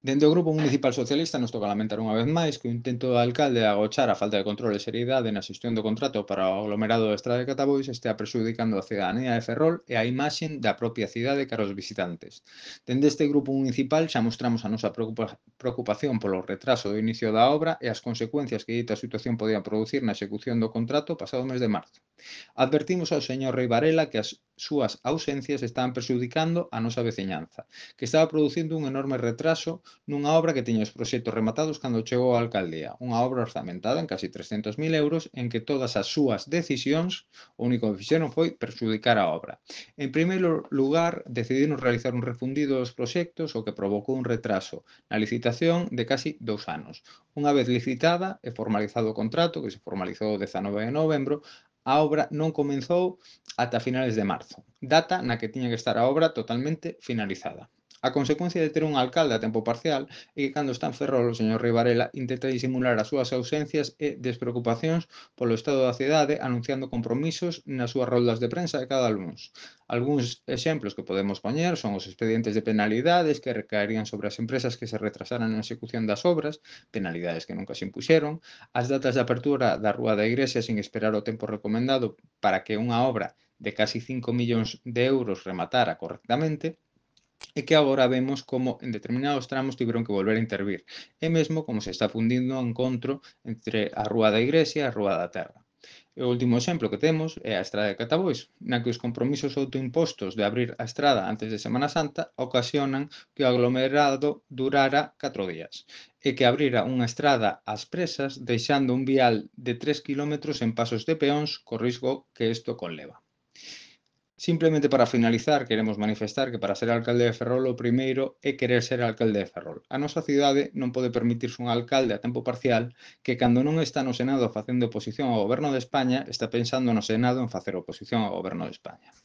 Dende o Grupo Municipal Socialista nos toca lamentar unha vez máis que o intento do alcalde de agochar a falta de control e seriedade na xestión do contrato para o aglomerado da Estrada de Catabois estea prexudicando a cidadanía de Ferrol e a imaxe da propia cidade cara aos visitantes. Dende este grupo municipal xa mostramos a nosa preocupación polo retraso do inicio da obra e as consecuencias que dita situación podía producir na execución do contrato pasado mes de marzo. Advertimos ao señor Rei Varela que as súas ausencias estaban prexudicando a nosa veciñanza, que estaba producindo un enorme retraso nunha obra que tiña os proxectos rematados cando chegou á alcaldía, unha obra orzamentada en casi 300.000 euros en que todas as súas decisións o único que fixeron foi perxudicar a obra. En primeiro lugar, decidiron realizar un refundido dos proxectos, o que provocou un retraso na licitación de casi 2 anos. Unha vez licitada e formalizado o contrato, que se formalizou o 19 de novembro, a obra non comezou ata finales de marzo, data na que tiña que estar a obra totalmente finalizada. A consecuencia de ter un alcalde a tempo parcial é que cando está en Ferrol o señor Rei Varela intenta disimular as súas ausencias e despreocupacións polo estado da cidade anunciando compromisos nas súas roldas de prensa de cada luns. Algúns exemplos que podemos poñer son os expedientes de penalidades que recaerían sobre as empresas que se retrasaran na execución das obras, penalidades que nunca se impuxeron, as datas de apertura da Rúa da Igrexa sin esperar o tempo recomendado para que unha obra de casi 5 millóns de euros rematara correctamente, e que agora vemos como en determinados tramos tiveron que volver a intervir, e mesmo como se está fundindo o encontro entre a Rúa da Igrexa e a Rúa da Terra. E o último exemplo que temos é a Estrada de Catabois, na que os compromisos autoimpostos de abrir a estrada antes de Semana Santa ocasionan que o aglomerado durara 4 días e que abrira unha estrada ás presas deixando un vial de 3 kilómetros en pasos de peóns co risco que isto conleva. Simplemente para finalizar, queremos manifestar que para ser alcalde de Ferrol o primeiro é querer ser alcalde de Ferrol. A nosa cidade non pode permitirse un alcalde a tempo parcial que cando non está no Senado facendo oposición ao Goberno de España está pensando no Senado en facer oposición ao Goberno de España.